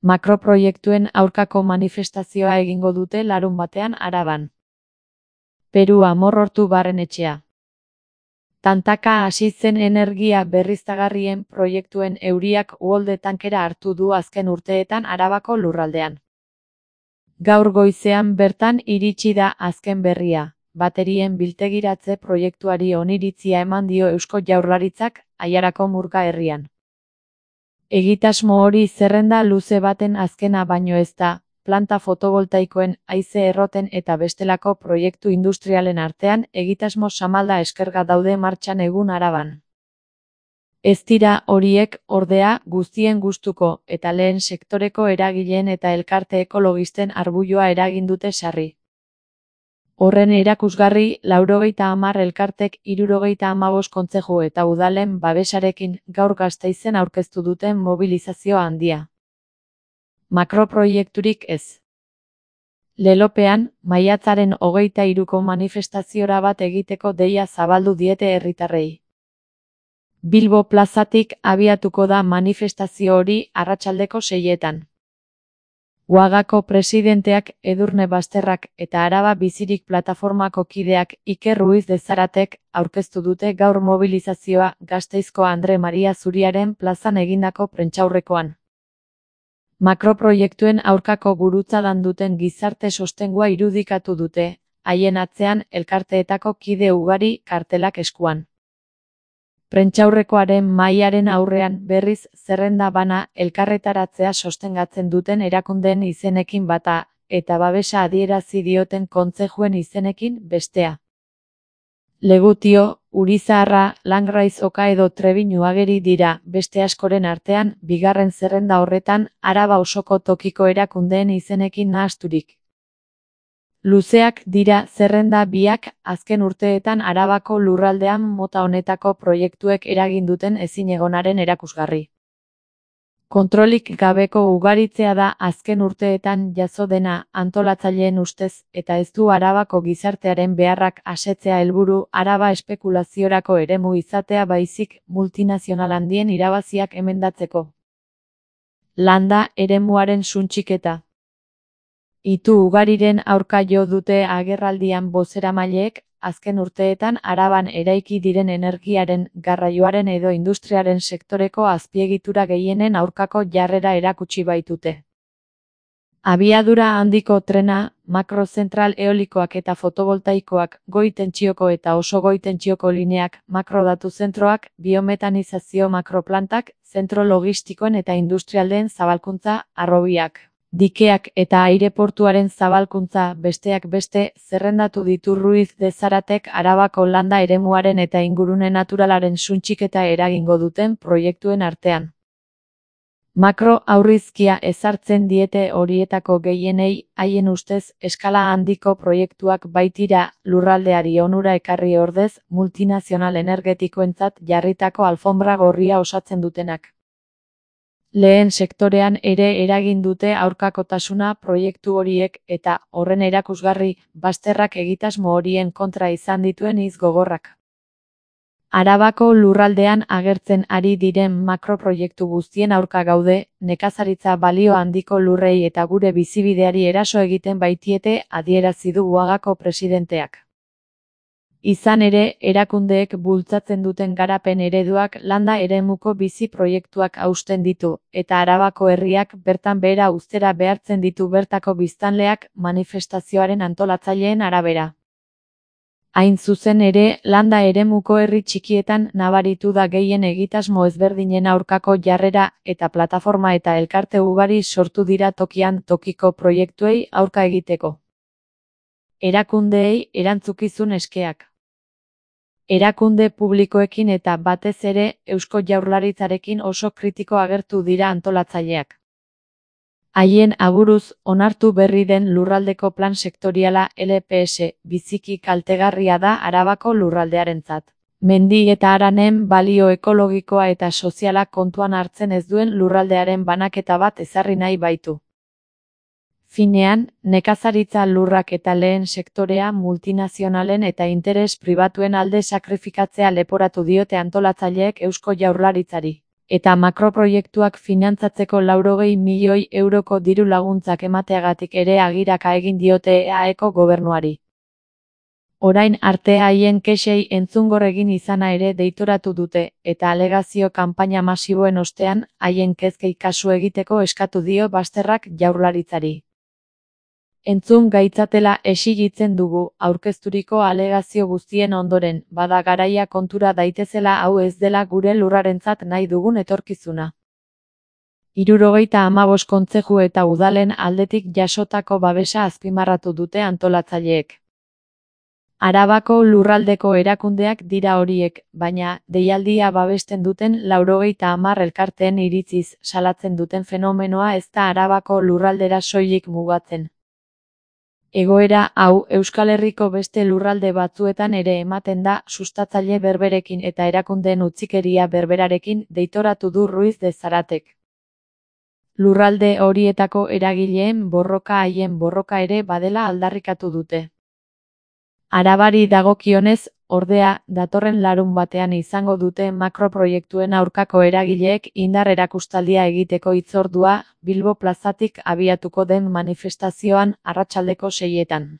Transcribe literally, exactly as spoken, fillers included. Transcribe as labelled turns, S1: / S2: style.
S1: Makroproiektuen aurkako manifestazioa egingo dute larunbatean Araban. Peru Amorortu Barrenetxea. Tantaka hasi zen energia berriztagarrien proiektuen euriak uholde tankera hartu du azken urteetan Arabako lurraldean. Gaur goizean bertan iritsi da azken berria. Baterien biltegiratze proiektuari oniritzia eman dio Eusko Jaurlaritzak Aiarako Murga herrian. Egitasmo hori zerrenda luze baten azkena baino ez da, planta fotovoltaikoen, haize erroten eta bestelako proiektu industrialen artean egitasmo samalda eskerga daude martxan egun Araban. Ez dira horiek, ordea, guztien gustuko, eta lehen sektoreko eragileen eta elkarte ekologisten arbuioa eragin dute sarri. Horren erakusgarri, laurogeita hamar elkartek hirurogeita hamabost kontzeju eta udalen babesarekin gaur Gasteizen aurkeztu duten mobilizazio handia. Makroproiekturik ez. Lelopean, maiatzaren hogeita hiruko manifestaziora bat egiteko deia zabaldu diete herritarrei. Bilbo plazatik abiatuko da manifestazio hori arratsaldeko seietan. Uagako presidenteak Edurne Basterrak eta Araba Bizirik plataformako kideak Iker Ruiz de Zaratek aurkeztu dute gaur mobilizazioa Gasteizko Andre Maria Zuriaren plazan egindako prentsaurrekoan. Makroproiektuen aurkako gurutzadan duten gizarte sostengua irudikatu dute, haien atzean elkarteetako kide ugari kartelak eskuan. Prentsaurrekoaren mahaiaren aurrean berriz zerrenda bana elkarretaratzea sostengatzen duten erakundeen izenekin bata, eta babesa adierazi dioten kontzejuen izenekin bestea. Legutio, Urizaharra, Langraiz Oka edo Trebinu ageri dira, beste askoren artean, bigarren zerrenda horretan, Araba osoko tokiko erakundeen izenekin nahasturik. Luzeak dira zerrenda biak azken urteetan Arabako lurraldean mota honetako proiektuek eragin duten ezinegonaren erakusgarri. Kontrolik gabeko ugaritzea da azken urteetan jazo dena antolatzaileen ustez eta ez du Arabako gizartearen beharrak asetzea helburu Araba espekulaziorako eremu izatea baizik multinazional handien irabaziak emendatzeko. Landa eremuaren suntsiketa. Itu ugariren aurka jo dute agerraldian bozeramaileek, azken urteetan Araban eraiki diren energiaren, garraioaren edo industriaren sektoreko azpiegitura gehienen aurkako jarrera erakutsi baitute. Abiadura handiko trena, makrozentral eolikoak eta fotovoltaikoak, goi tentsioko eta oso goi tentsioko lineak, makrodatu zentroak, biometanizazio makroplantak, zentro logistikoen eta industrialdeen zabalkuntza, harrobiak. Dikeak eta aireportuaren zabalkuntza besteak beste zerrendatu ditu Ruiz de Zaratek Arabako landa eremuaren eta ingurune naturalaren suntsiketa eragingo duten proiektuen artean. Makro aurrizkia ezartzen diete horietako gehienei, haien ustez eskala handiko proiektuak baitira lurraldeari onura ekarri ordez multinazional energetikoentzat jarritako alfombra gorria osatzen dutenak. Lehen sektorean ere eragin dute aurkakotasuna proiektu horiek eta, horren erakusgarri, Basterrak egitasmo horien kontra izan dituen hitz gogorrak. Arabako lurraldean agertzen ari diren makroproiektu guztien aurka gaude, nekazaritza balio handiko lurrei eta gure bizibideari eraso egiten baitiete adierazi du Uagako presidenteak. Izan ere, erakundeek bultzatzen duten garapen ereduak landa eremuko bizi proiektuak hausten ditu, eta Arabako herriak bertan behera uztera behartzen ditu bertako biztanleak manifestazioaren antolatzaileen arabera. Hain zuzen ere, landa eremuko herri txikietan nabaritu da gehien egitasmo ezberdinen aurkako jarrera eta plataforma eta elkarte ugari sortu dira tokian tokiko proiektuei aurka egiteko. Erakundeei erantzukizun eskeak. Erakunde publikoekin eta batez ere Eusko Jaurlaritzarekin oso kritiko agertu dira antolatzaileak. Haien aburuz, onartu berri den lurraldeko plan sektoriala L P S biziki kaltegarria da Arabako lurraldearentzat. Mendi eta haranen balio ekologikoa eta soziala kontuan hartzen ez duen lurraldearen banaketa bat ezarri nahi baitu. Finean, nekazaritza lurrak eta lehen sektorea multinazionalen eta interes pribatuen alde sakrifikatzea leporatu diote antolatzaileek Eusko Jaurlaritzari. eta makroproiektuak finantzatzeko laurogei milioi euroko diru laguntzak emateagatik ere agiraka egin diote E A Eko gobernuari. Orain arte haien kexei entzungor egin izana ere deitoratu dute, eta alegazio kanpaina masiboen ostean, haien kezkei kasu egiteko eskatu dio Basterrak Jaurlaritzari. Entzun gaitzatela exigitzen dugu, aurkezturiko alegazio guztien ondoren, bada garaia kontura daitezela hau ez dela gure lurrarentzat nahi dugun etorkizuna. Hirurogeita hamabost kontzeju eta udalen aldetik jasotako babesa azpimarratu dute antolatzaileek. Arabako lurraldeko erakundeak dira horiek, baina, deialdia babesten duten laurogeita hamar elkarteen iritziz salatzen duten fenomenoa ez da Arabako lurraldera soilik mugatzen. Egoera hau Euskal Herriko beste lurralde batzuetan ere ematen da sustatzaile berberekin eta erakundeen utzikeria berberarekin deitoratu du Ruiz de Zaratek. Lurralde horietako eragileen borroka haien borroka ere badela aldarrikatu dute. Arabari dagokionez, ordea, datorren larunbatean izango dute makroproiektuen aurkako eragileek indar erakustaldia egiteko hitzordua, Bilbo plazatik abiatuko den manifestazioan arratsaldeko seietan.